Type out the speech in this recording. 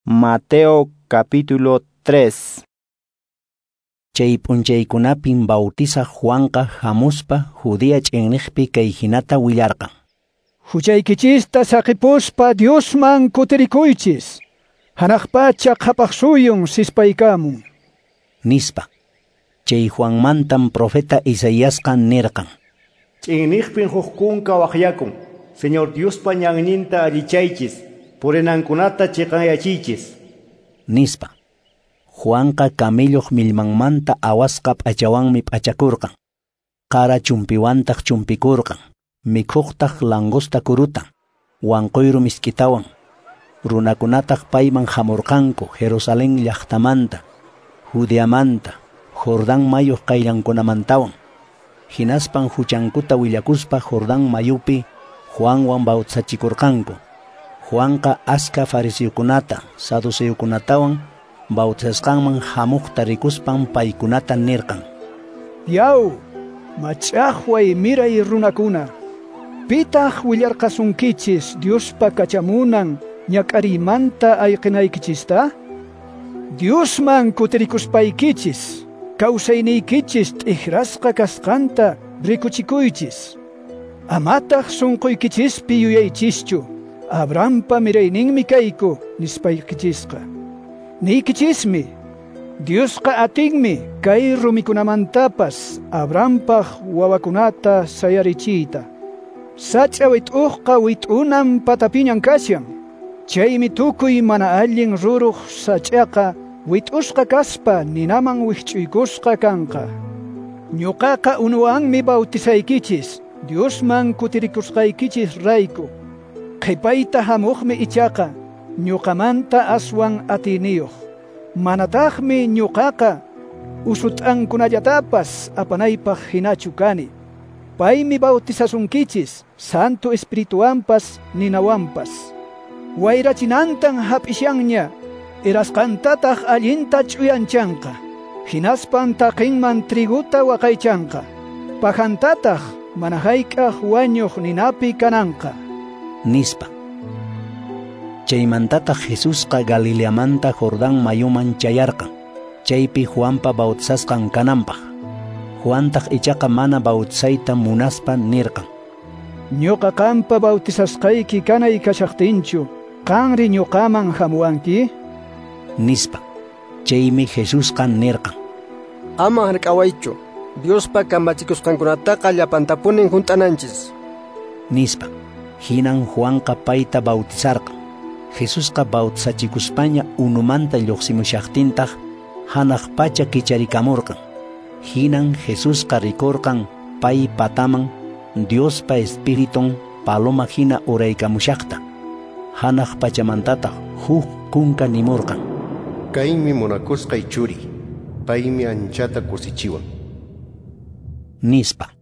Mateo capítulo 3. Chay p'unchaykunapin bautizaq Juanqa hamuspa Judea ch'inniqpi kay hinata willarqan. Huchaykichista saqipuspa Diosman kutirikuychis. Hanaq pacha qhapaq suyun sispaykamun. Nispa. Chay Juanmantan profeta Isaiasqa nirqan. Ch'inniqpin huk kunka waqyakun. Señor Diospa ñanninta allichaychis, purinankunata chiqanyachiychis. Nispa. Juanqa camelloq millmanmanta awasqa p'achawanmi p'achakurqan. Qara chumpiwantaq chumpikurqan. Mikhuqtaq langosta kuruta, wanquyru misk'itawan. Runakunataq payman hamurqanku Jerusalén llaqtamanta, Judeamanta, Jordán mayuq qayllankunamantawan. Hinaspan huchankuta willakuspa Jordán mayupi Juanwan bautizachikurqanku. Juanqa aska fariseokunata, saduceokunatawan bautizasqanman hamuqta rikuspan paykunata nirqan. Yaw, mach'aqway miray runakuna, pitaq willarqasunkichis Diospa kachamunan ñak'ariymanta ayqinaykichista? Diosman kutirikuspaykichis, kawsayniykichis t'ikrasqa kasqanta rikuchikuychis. Amataq sunquykichispi yuyaychischu, Abrahampa mirayninmi kayku nispaykichisqa. Niykichismi, Diosqa atinmi kay rumikunamantapas Abrahampaq wawakunata sayarichiyta. Sach'a wit'uqqa wit'unan patapiñan kashan. Chaymi tukuy mana allin ruruq sach'aqa wit'usqa kaspa ninaman wikch'uykusqa kanqa. Ñuqaqa unuwanmi bautizaykichis, Diosman kutirikusqaykichis rayku. Qhipayta hamuqmi ichaqa ñuqamanta aswan atiyniyuq. Manataqmi ñuqaqa usut'ankunallatapas apanaypaq hinachu kani. Paymi bautizasunkichis Santo Espirituwanpas ninawanpas. Wayrachinantan hap'ishanña, erasqantataq allinta ch'uyanchanqa. Hinaspan taqinman triguta waqaychanqa. Pajantataq mana hayk'aq wañuq ninapi kananqa. Nispa. Chaymantataq Jesusqa Galileamanta Jordán mayuman chayarqan, chaypi Juanpa bautizasqan kananpaq. Juantaq ichaqa mana bautizayta munaspa nirqan. Ñuqa qampa bautizasqayki kanay kashaqtinchu, qanri ñuqaman hamuwanki? Nispa. Chaymi Jesusqa nirqan. Ama hark'awaychu, Diospa kamachikusqankunataqa llapantapunin hunt'ananchis. Nispa. Hinan Juanqa payta bautizarqan. Jesusqa bautizachikuspaña unumanta lluqsimushaqtintaq hanaq pacha kicharikamurqan. Hinan Jesusqa rikurqan pay pataman Diospa Espiritun paloma hina uraykamushaqta. Hanaq pachamantataq huk kunka nimurqan. Kaymi munakusqay churi, paymi anchata kusichiwan. Nispa.